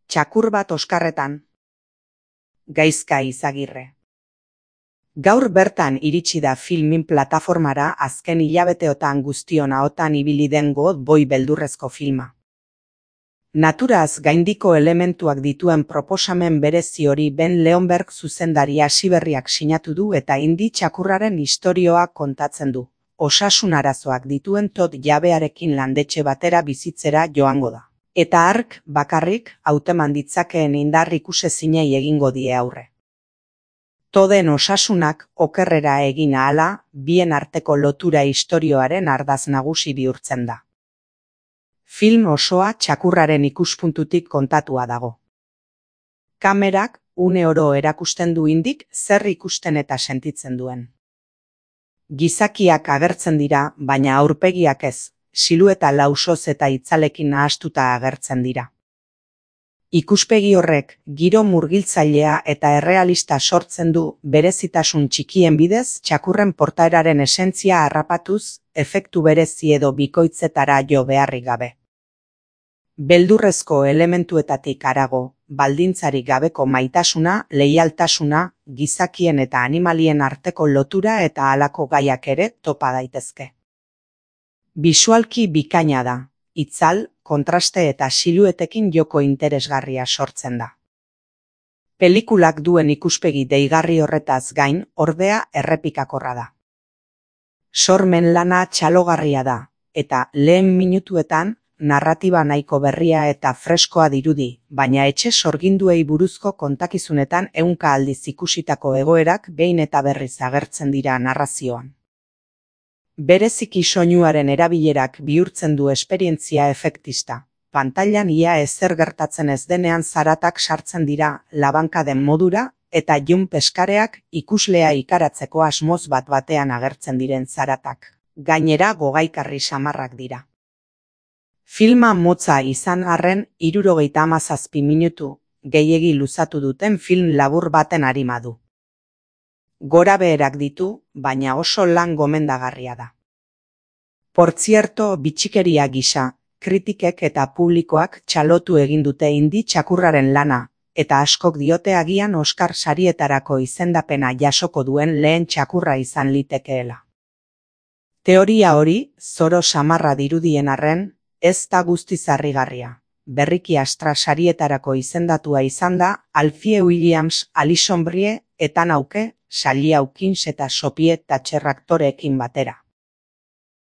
Txakur bat Oskarretan. Gaizka Izagirre. Gaur bertan iritsi da filmin plataformara azken hilabeteotan guztion ahotan ibili den God Boy beldurrezko filma. Naturaz gaindiko elementuak dituen proposamen berezi hori Ben Leonberg zuzendari hasiberriak sinatu du eta indi txakurraren istorioa kontatzen du. Osasun arazoak dituen Todd jabearekin landetxe batera bizitzera joango da. Eta hark, bakarrik, hauteman ditzakeen indar ikusezinei egingo die aurre. Todden osasunak okerrera egin ahala, bien arteko lotura istorioaren ardaz nagusi bihurtzen da. Film osoa txakurraren ikuspuntutik kontatua dago. Kamerak une oro erakusten du indik zer ikusten eta sentitzen duen. Gizakiak agertzen dira, baina aurpegiak ez, silueta lausoz eta itzalekin nahastuta agertzen dira. Ikuspegi horrek giro murgiltzailea eta errealista sortzen du berezitasun txikien bidez txakurren portaeraren esentzia harrapatuz, efektu berezi edo bikoitzetara jo beharrik gabe. Beldurrezko elementuetatik harago, baldintzarik gabeko maitasuna, leialtasuna, gizakien eta animalien arteko lotura eta halako gaiak ere topa daitezke. Bisualki bikaina da, itzal, kontraste eta siluetekin joko interesgarria sortzen da. Pelikulak duen ikuspegi deigarri horretaz gain, ordea errepikakorra da. Sormen lana txalogarria da, eta lehen minutuetan, narratiba nahiko berria eta freskoa dirudi, baina etxe sorginduei buruzko kontakizunetan ehunka aldiz ikusitako egoerak behin eta berriz agertzen dira narrazioan. Bereziki soinuaren erabilerak bihurtzen du esperientzia efektista. Pantailan ia ezer gertatzen ez denean zaratak sartzen dira labankaden modura eta jump eskareak ikuslea ikaratzeko asmoz bat batean agertzen diren zaratak. Gainera gogaikarri samarrak dira. Filma motza izan arren 77 minutu gehiegi luzatu duten film labur baten arima du. Gorabeherak ditu, baina oso lan gomendagarria da. Portzierto, bitxikeria gisa, kritikek eta publikoak txalotu egin dute indi txakurraren lana, eta askok diote agian Oskar sarietarako izendapena jasoko duen lehen txakurra izan litekeela. Teoria hori, zoro samarra dirudien arren, ez da guztiz harrigarria. Berriki Astra sarietarako izendatua izan da Alfie Williams, Alison Brie, Ethan Hawke, Sally Hawkins eta Sophie Thatcher aktoreekin batera.